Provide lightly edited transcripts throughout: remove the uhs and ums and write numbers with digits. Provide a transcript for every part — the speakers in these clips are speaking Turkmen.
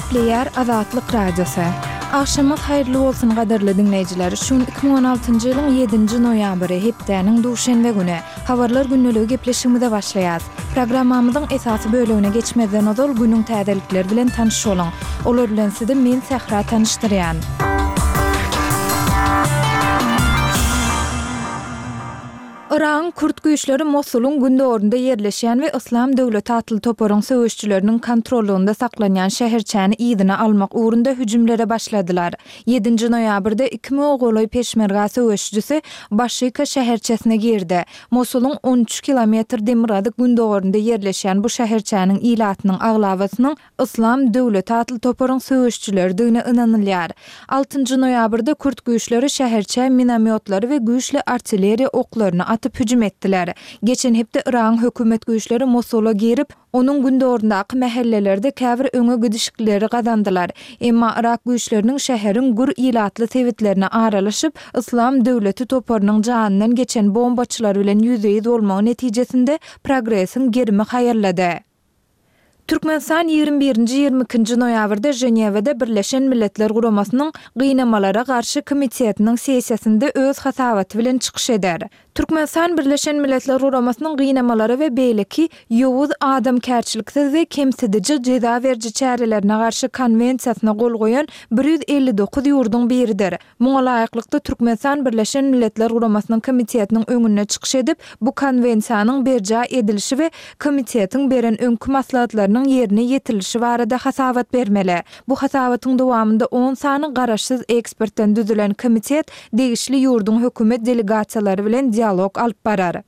Gepleýär Azatlyk Radiosy. Agşamyňyz haýyrly bolsun gadyrly diňleýjiler! Şu gün 2016-njy ýylyň ýedinji noýabry, hepdäniň duşenbe güni. Habarlar gündeligi gepleşigimize başlaýas. Programmamyzyň esasy bölegine geçmezden ozal günüň täzelikleri bilen tanyş boluň. Olar bilen sizi men Sähra tanyşdyrýan. Yragyň kürt güýçleri Mosulyň gündogarynda ýerleşýän we Yslam döwleti atly toparyň söweşijileriniň kontrollygynda saklanýan şäherçäni yzyna almak ugrunda hüjümlere başladylar. Ýedinji noýabrda iki müňe golaý peşmerga söweşijisi Başika şäherçesine girdi. Mosulyň 13 kilometr demirgazyk-gündogarynda ýerleşýän bu şäherçäniň ilatynyň aglabasynyň Yslam döwleti atly toparyň söweşijileridigine ynanylýar. Altynjy noýabrda kürt güýçleri şäherçä minomýotlary we güýçli artilleriýa oklaryny atyp hüjüm etdiler. Geçen hepde Yragyň hökümet güýçleri Mosula girip, onuň gündogaryndaky mähellelerde käbir öňe gidişikleri gazandylar. Emma yrak güýçleriniň şäheriň gür ilatly sebitlerine aralaşyp, Yslam döwleti toparynyň janyndan geçen bombaçylary bilen ýüzbe-ýüz bolmagy netijesinde progresiň gerimi haýallady. Türkmenistan ýigrimi birinji, ýigrimi ikinji noýabrda Ženewada Birleşen Milletler Guramasynyň Gynamalara garşy komitetiniň sessiýasynda öz hasabaty bilen çykyş eder. Türkmenistan Birleşen Milletler Guramasynyň gynamalara we beýleki ýowuz, adamkärçiliksiz we kemsidiji jeza beriji çärelerine garşy Konwensiýasyna gol goýan 159 ýurduň biridir. Muňa laýyklykda, Türkmenistan Birleşen Milletler Guramasynyň Komitetiniň öňünde çykyş edip, bu Konwensiýanyň berjaý edilişi we Komitetiň beren öňki maslahatlarynyň ýerine ýetirilişi barada hasabat bermeli. Bu hasabatyň dowamynda on sany garaşsyz ekspertden düzülen Komitet degişli ýurduň hökümet delegasiýalary bilen dialog alyp barar.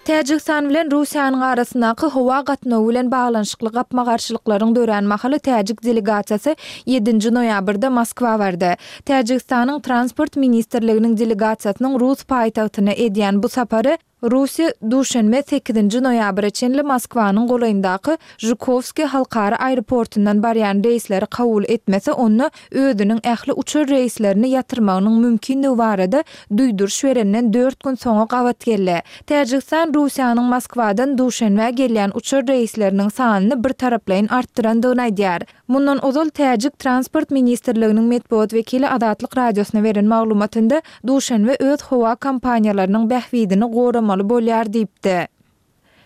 Täjigistan bilen Russiýanyň arasyndaky howa gatnawy bilen baglanyşykly gapma-garşylyklaryň dörän mahaly täjik delegasiýasy ýedinji noýabrda Moskwa bardy. Täjigistanyň Transport ministrliginiň delegasiýasynyň rus paýtagtyna edýän bu sapary Russiýa duşenbe sekizinji noýabra çenli Moskwanyň golaýyndaky Žukowskiý halkara aeroportundan barýan reýsleri kabul etmese, onda özüniň ähli uçar reýslerini ýatyrmagynyň mümkindigi barada duýduryş berenden dört gün soňa gabat geldi. Täjigistan Russiýanyň Moskwadan Duşenbä gelýän uçar reýsleriniň sanyny birtaraplaýyn artdyrandygyny aýdýar. Mundan ozal täjik Transport ministrliginiň metbugat wekili Azatlyk Radiosyna beren maglumatynda Duşenbe öz howa kompaniýalarynyň bähbidini goramaly bolýar diýipdi.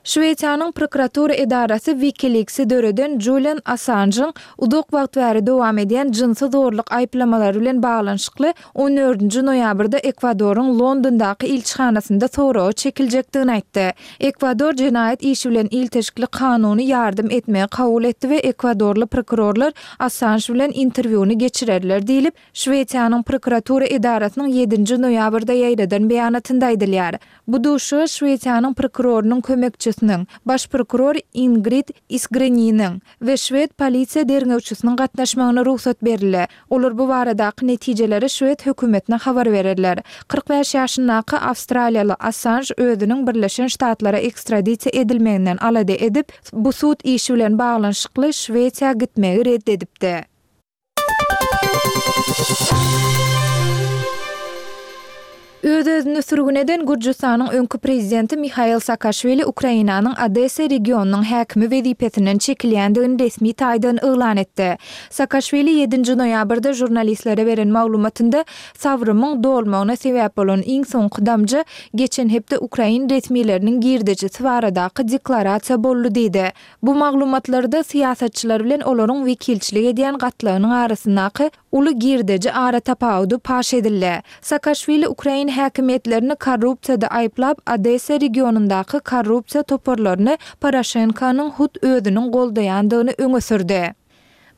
Şwesiýanyň prokuratura edarasy WikiLeaks-i döreden Julian Assanjyň uzak wagt bäri dowam edýän jynsy zorluk aýyplamalary bilen baglanyşykly On dördünji noýabrda Ekwadoryň Londondaky ilçihanasynda soraga çekiljekdigini aýtdy. Ekwador jenaýat işi bilen ilteşikli kanuny ýardam etmegi kabul etdi we ekwadorly prokurorlar Assanž bilen interwýuny geçirerler diýlip, Şwesiýanyň prokuratura edarasynyň ýedinji noýabrda ýaýradan beýanatynda aýdylýar. Bu duşuşyga Şwesiýanyň prokurorynyň kömekçisiniň, baş prokuror Ingrid Isgreniniň, we şwed polisiýa derňewçisiniň gatnaşmagyna rugsat berildi. Olar bu baradaky netijeleri şwed hökümetine habar bererler. 45 ýaşyndaky awstraliýaly Assanž özüniň Birleşen Ştatlara ekstradisiýa edilmeginden alada edip, bu sud işi bilen baglanyşykly Şwesiýa gitmegi ret edipdi. Öz-özüni sürgün eden Gürjüstanyň öňki prezidenti Mihail Saakaşwili Ukrainanyň Odessa regionynyň häkimi wezipesinden çekilýändigini resmi taýdan yglan etdi. Saakaşwili ýedinji noýabrda žurnalistlere beren maglumatynda sabrymyň dolmagyna sebäp bolan iň soňky damja geçen hepde ukrain resmileriniň girdejisi baradaky deklarasiýa boldy diýdi. Bu maglumatlarda syýasatçylar bilen olaryň wekilçilik edýän gatlagynyň arasyndaky uly girdeji aratapawudy paş edildi. Saakaşwili ukrain häkimiýetlerini korrupsiýada aýyplap, Odessa regionyndaky korrupsiýa toparlaryny Poroşenkonyň hut özüniň goldaýandygyny öňe sürdi.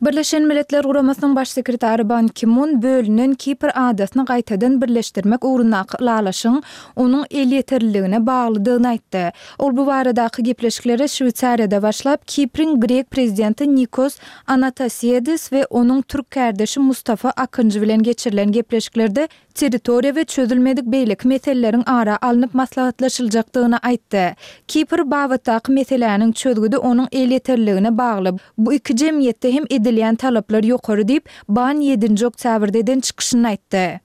Birleşen Milletler Guramasynyň Baş sekretary Ban Ki-mun bölünen Kipr adasyny gaýtadan birleşdirmek ugrundaky ylalaşygyň onuň elýeterliligine baglydygyny aýtdy. Ol bu baradaky gepleşiklere Şweýsariýada başlap, Kipriň grek prezidenti Nikos Anatasiadis we onuň türk kärdeşi Mustafa Akynjy bilen geçirilen gepleşiklerde territoriýa we çözülmedik beýleki meseleleriň ara alnyp maslahatlaşyljakdygyny aýtdy. Kipr babatdaky meseläniň çözgüdi onuň elýeterliligine bagly, bu iki jemgyýetde hem edilýän talaplar ýokary diýip, Ban ýedinji oktýabrda eden çykyşynda aýtdy.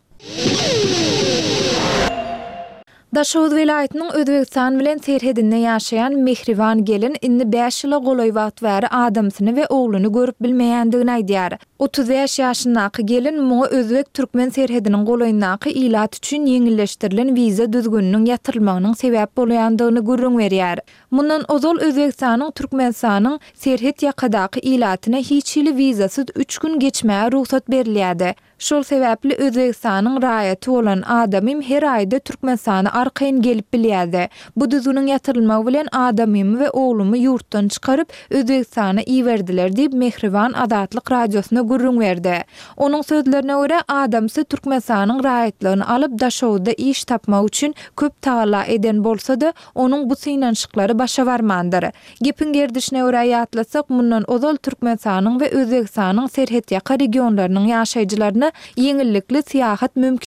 Daşoguz welaýatynyň Özbegistan bilen serhedinde ýaşaýan Mehriban gelin indi bäş ýyla golaý wagt bäri adamsyny we ogluny görüp bilmeýändigini aýdýar. 35 ýaşyndaky gelin muňa özbek-türkmen serhediniň golaýyndaky ilat üçin ýeňilleşdirilen wiza düzgüniniň ýatyrylmagynyň sebäp bolýandygyny gürrüň berýär. Mundan ozal Özbegistanyň Türkmenistanyň serhet ýakadaky ilatyna hiç hili wizasyz üç gün geçmäge rugsat berilýärdi. Şol sebäpli Özbegistanyň raýaty bolan adamym her aýda Türkmenistana arkaýyn gelip bilýärdi. Bu düzgüniň ýatyrylmagy bilen adamymy we oglumy ýurtdan çykaryp, Özbegistana iberdiler diýip, Mehriban Azatlyk Radiosyna gürrüň berdi. Onuň sözlerine görä, adamsy Türkmenistanyň raýatlygyny alyp, Daşoguzda iş tapmak üçin köp tagalla eden bolsa-da, Onuň bu synanyşyklary başa barmandyr. Gepiň gerdişine görä ýatlatsak, mundan ozal Türkmenistanyň we Özbegistanyň serhetýaka regionlarynyň ýaşaýjylaryna ýeňillikli syýahat mümkinçiligi.